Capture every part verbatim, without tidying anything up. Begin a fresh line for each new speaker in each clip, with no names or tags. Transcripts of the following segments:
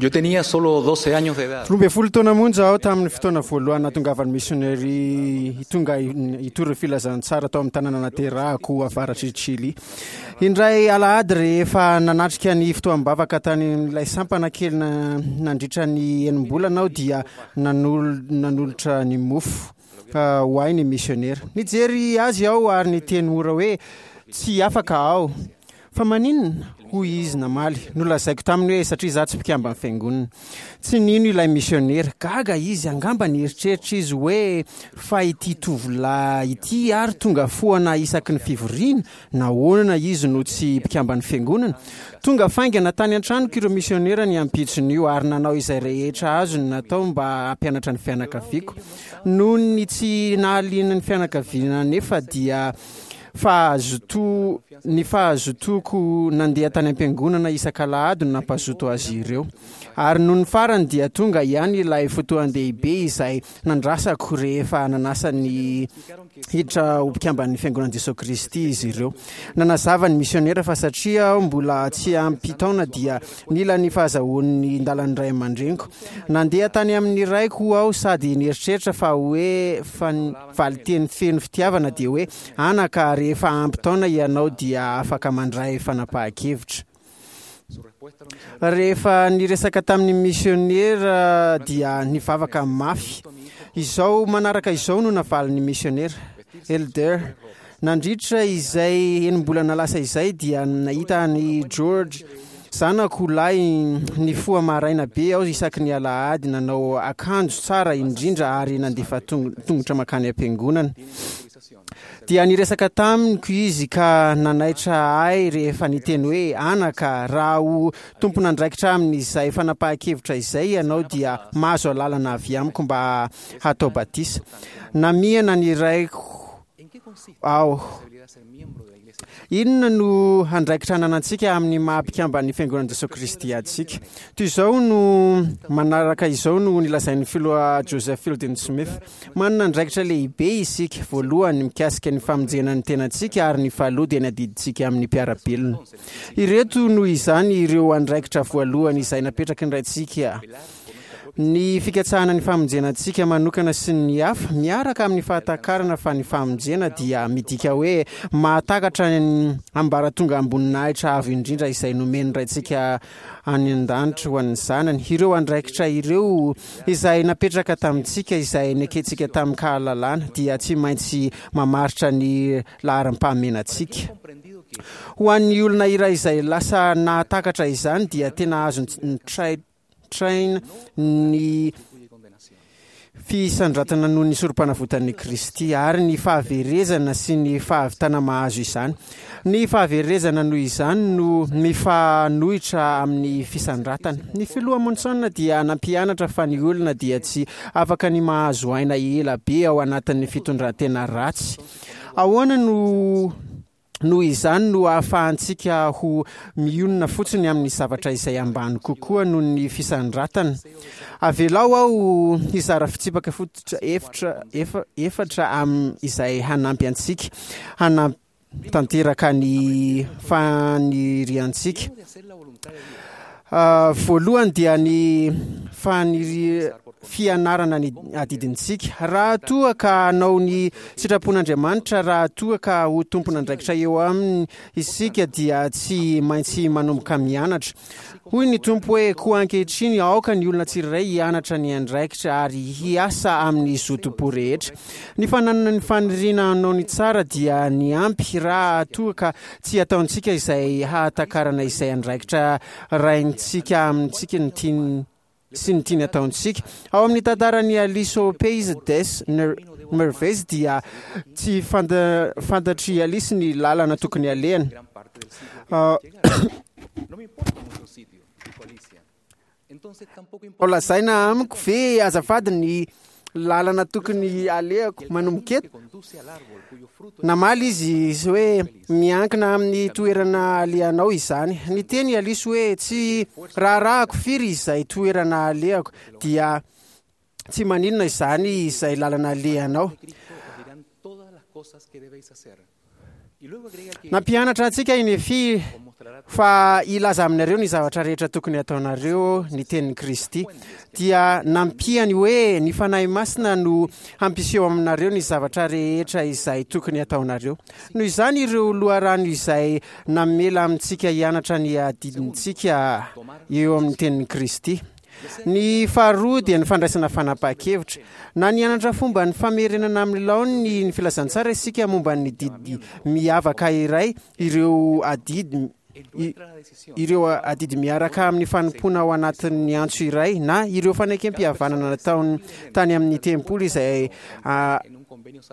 Yo tenía solo doce años de edad.
Roa ambin'ny folo taona monja aho tamin'ny fotoana voalohany nahatongavan'ny misionary tonga hitory filazantsara tao amin'ny tanàna naterahako avaratr'i Chili. Indray alahady, rehefa nanatrika ny fotoam-bavaka tany amin'ilay sampana kely nandritra ny enim-bolana aho, dia nanolotra ny mofo ho ahy ny misionera. Nijery azy aho ary niteny mora hoe: "Tsy afaka aho." "Fa maninona?" hoy izy namaly. Nolazaiko taminy hoe satria izaho tsy mpikamban'ny fiangonana. Tsy nino ilay misionera. Gaga izy, angamba nieritreritra izy hoe: "Fa ity tovolahy ity ary tonga foana isaky ny fivoriana, nahoana izy no tsy mpikamban'ny fiangonana?" Tonga faingana tany an-tranoko ireo misionera ny ampitson'io ary nanao izay rehetra azony natao mba hampianatra ny fianakaviako. Noho ny tsy nahaliana ny fianakaviana anefa, dia fahazoto ny fahazotoako nandeha tany am-piangonana isak'alahady no nampazoto azy ireo. Ary noho ny farany dia tonga ihany ilay fotoan-dehibe izay nandrasako, rehefa nanasa ny hiditra ho mpikamban'ny Fiangonan'i Jesosy Kristy izy ireo. Nanazava ny misionera fa satria aho mbola tsy ampy taona dia nila ny fahazahoan'ny ndalan'ny ray aman-dreniko. Nandeha tany amin'ny raiko aho sady nieritreritra fa hoe fa valinteny feno fitiavana dia hoe: "Anaka, rehefa ampy taona ianao dia afaka mandray fanapahan-kevitra." Rehefa niresaka tamin'ny misionera dia nivavaka mafy. Izao manaraka izao no navalin'ny misionera: "Elder, nandritra izay enim-bolana lasa izay dia nahita ny George zanako lahy nifoha maraina be aho isaky ny alahady, nanao akanjo tsara indrindra ary nandefa tongotra makany am-piangonana. Dia niresaka tamiko izy ka nanaitra ahy rehefa niteny hoe: 'Anaka, raha ho tompon'andraikitra amin'izay fanapahan-kevitra izay ianao, dia mahazo alalana avy amiko mba hatao batisa.' Namihana ny raiko aho. Inona no andraikitra ananantsika amin'ny maha mpikamban'ny Fiangonan'i Jesosy Kristy antsika? Toy izao no manaraka izao no nilazain'ny filoha Joseph Fielding Smith: "Manana andraikitra lehibe isika, voalohany mikasika ny famonjena ny tenantsika, ary ny faharoa dia ny adidintsika amin'ny mpiara-belona. Ireto noho izany ireo andraikitra voalohany izay napetraky ny Raintsika: ny fikatsahana ny famonjena antsika manokana sy ny hafa, miaraka amin'ny fahatakarana fa ny famonjena dia midika hoe mahatakatra ny ambaratongam-boninahitra avo indrindra izay nomen'ny Raintsika any an-danitra ho an'ny zanany. Ireo andraikitra ireo izay napetraka tamintsika, izay nekentsika tamin-kahalalana, dia tsy maintsy mamaritra ny laharam-pahamehantsika. Ho an'ny olona iray izay lasa nahatakatra izany, dia tena azo traina ny fisandratana noho ny sorom-panavotan'i Kristy ary ny fahaverezana sy ny fahavitana mahazo izany. Ny fahaverezana noho izany no mifanohitra amin'ny fisandratana. Ny filoha Monson dia nampianatra fa ny olona dia tsy afaka ny mahazo aina ela be ao anatin'ny fitondran-tena ratsy. Ahoana no noho izany no ahafahantsika ho mionona fotsiny amin'ny zavatra izay ambany kokoa noho ny fisandratana? Avelao aho hizara fitsipika fototra efitra efa efatra am izay hanampy antsika hanatanteraka ny faniriantsika. Voalohany dia ny faniri fianarana ny adidintsika. Raha toa ka hanao ny sitrapon'Andriamanitra, raha toa ka ho tompon'andraikitra eo aminy isika, dia tsy maintsy manomboka mianatra. Hoy ny Tompo hoe: 'Koa ankehitriny aoka ny olona tsirairay hianatra ny andraikitra ary hiasa amin'ny zotom-po rehetra.' Ny fananana ny faniriana hanao ny tsara dia ny ampy raha toa ka tsy ataontsika izay hahatakarana izay andraikitra raintsika amintsika ny tiany sy ny tiany ataontsika. Ao amin'ny tantaran'ny Alice au Pays des Merveilles dia tsy fantatry Alice ny lalana tokony alehany.
No me importa mucho sitio, dijo Alicia. Entonces tampoco
Ao lazaina amiko ve azafady ny lalana tokony alehako manomboka eto?" Namaly izy hoe: "Miankina amin'ny toerana alehanao izany." Niteny Alice hoe: "Tsy raharahako firy izay toerana alehako." "Dia tsy maninona izany izay lalana alehanao."
todas las cosas que debéis hacer.
Nampianatra antsika i Nefia fa hilaza aminareo ny zavatra rehetra tokony hataonareo ny tenin'i Kristy. Dia nampiany hoe ny Fanahy Masina no hampiseho aminareo ny zavatra rehetra izay tokony hataonareo. Noho izany, ireo loharano izay namela amintsika hianatra ny adidintsika eo amin'ny tenin'i Kristy. Ny faharoa dia ny fandraisana fanapahan-kevitra. Na nianatra fomba ny famerenana amin'ny laoniny ny filazantsara isika momba ny didy miavaka iray, ireo adidy ireo adidy miaraka amin'ny fanompoana ao anatin'ny antso iray, na ireo fanekem-pihavanana nataony tany amin'ny tempoly izay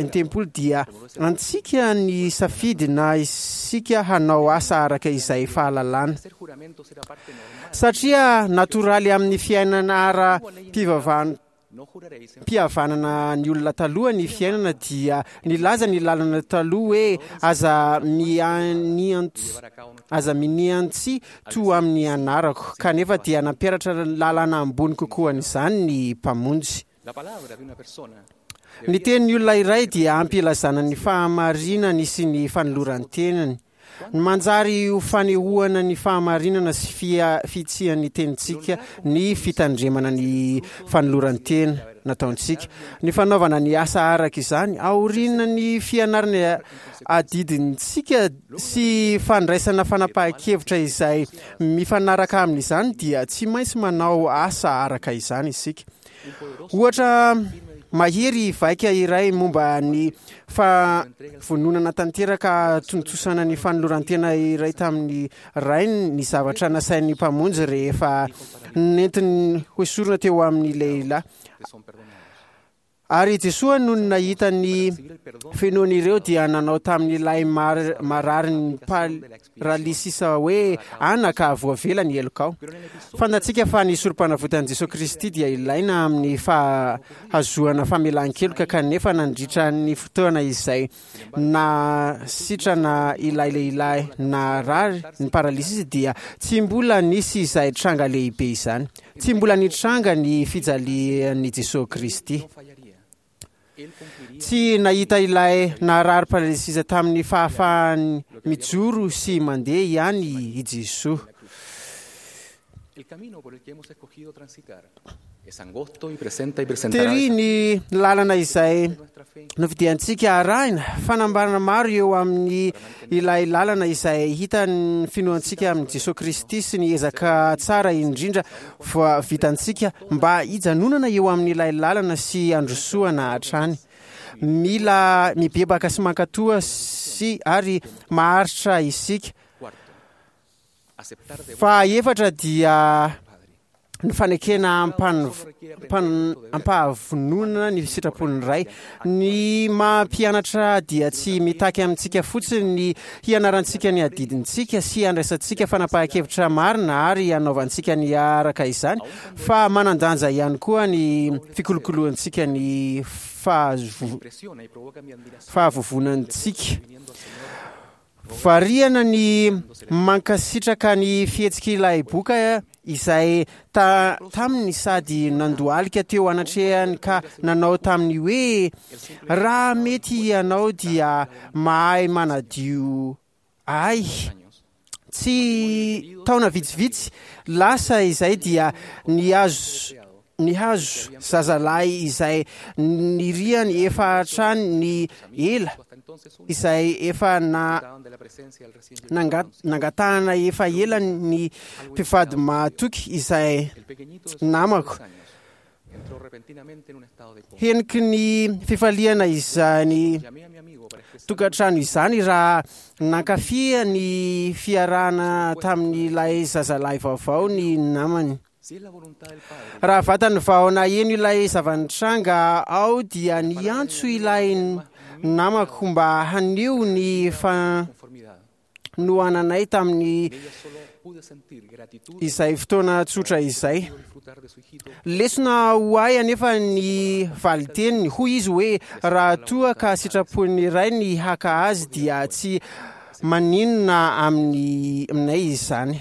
ny tempoly, dia antsika ny safidy na isika hanao asa araka izay fahalalana. Satria natoraly amin'ny fiainana ara-pivavahana mpihavanana ny olona taloha ny fiainana, dia nilaza ny lalana taloha hoe aza mianiantsy aza miniantsy to amin'ny anarako, kanefa dia nampiaratra lalana ambony kokoa an'izany ny Mpamonjy. Ny tenin'ny olona iray dia ampilazana ny fahamarinany sy ny fanoloran-tenany. Ny manjary ho fanehoana ny fahamarinana sy fia- fitsian'ny tenintsika ny fitandremana ny fanoloran-tena nataontsika. Ny fanaovana ny asa araka izany aoriana ny fianarana adidintsika sy fandraisana fanapahan-kevitra izay mifanaraka amin'izany dia tsy maintsy manao asa araka izany isika. Ohatra mahery vaika iray momba ny fahavononana tanteraka tontosana ny fanoloran-tena iray tamin'ny rainy ny zavatra nasain'ny Mpamonjy rehefa nentiny hoesorina teo amin'ny lehilahy. Ary Jesoa no nahita ny finoan'ireo dia nanao tamin'ilay mar- marary paralysisa hoe anaka, voavela ny helokao. Fantatsika fa ny sorom-panavotan'i Jesoa Kristy dia ilaina amin'ny fahazoana famelan-keloka, kanefa nandritra ny fotoana izay na sitrana ilay lehilahy narary ny paralysisa dia tsy mbola nisy izay tranga lehibe izany. Tsy mbola nitranga ny fijalian'i Jesoa Kristy. Tsy nahita ilay narary paralysisa tamin'ny fahafahany mijoro sy mandeha ihany i Jesoa.
El camino por el que hemos escogido transitar es angosto y presenta y presentará
Tery ny lalana izay nofidiantsika arahina. Fanambarana maro eo amin'ny ilay lalana izay hitan'ny finoantsika amin'i Jesoa Kristy sy ny ezaka tsara indrindra fa vitantsika mba hijanonana eo amin'ilay lalana sy androsoana hatrany. Mila mibebaka sy mankatoa sy ary maharitra isika.
Cuarto, aceptar de
Fa efatra dia
Padre.
ny fanekena ampan- ampan- ampahavononana ny sitrapon'ny Ray. Ny mampianatra dia tsy mitaky amintsika fotsiny ny hianarantsika ny adidintsika sy handraisantsika fanapahan-kevitra marina ary hanaovantsika ny araka izany, fa manan-danja ihany koa ny fikolokoloantsika ny fahazo-
Impresiona y provoca mi admiración
fahavovonantsika.
viniendo al Señor
Variana ny mankasitraka ny fihetsik'ilay boka izay ta taminy sady nandohalika teo anatrehany ka nanao tamin'ny hoe raha mety ianao dia mahay manadio ahy.
Años.
Tsy taona vitsivitsy lasa izay dia nihazo nihazo zazalahy izay niriany efa hatrany ny ela
Hasta entonces un
izay efa na
estaban de la presencia del recién
nanga- nangatahana efa ela ny mpivady mahatoky izay
El pequeñito de
namako.
tres años entró repentinamente en un estado de coma.
Heniky ny fifaliana izany
Llamé a mi amigo para expresar
tokantrano izany raha nankafia ny fiarahana tamin'ilay zazalahy vaovao ny namany.
si es la voluntad del Padre
Raha vatany vao naheno ilay zava-nitranga ao dia niantso ilay namako mba haneho ny
conformidad.
fanohananay tamin'ny
En ella solo pude sentir gratitud
izay fotoana tsotra izay.
y disfrutar de su hijito
Lesona ho ahy anefa ny valiteniny, hoy izy hoe raha toa ka sitrapon'ny Ray ny haka azy dia tsy maninona amin'ny aminay izany.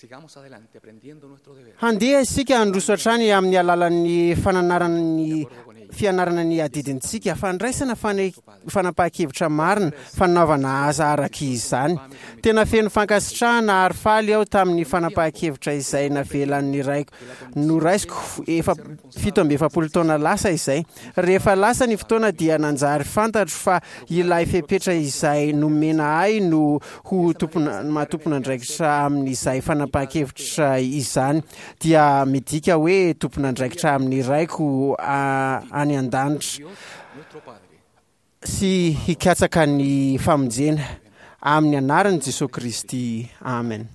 Sigamos adelante aprendiendo nuestro deber.
Handeha isika handroso hatrany amin'ny alalan'ny fananarana ny fianarana ny adidintsika, fandraisana fane- fanapahan-kevitra marina, fanaovana asa araka izany. Tena feno fankasitrahana ary faly aho tamin'ny fanapahan-kevitra izay navelan'ny raiko noraisiko efa fito amby efapolo taona lasa izay. Rehefa lasa ny fotoana dia nanjary fantatro fa ilay fepetra izay nomena ahy no ho tompona maha-tompon'andraikitra amin'izay fanapahan-kevitra izany dia midika hoe tompon'andraikitra amin'ny raiko a- any an-danitra
Dios, nuestro Padre,
sy hikatsaka ny famonjena amin'ny anaran'i Jesosy Kristy. Amen.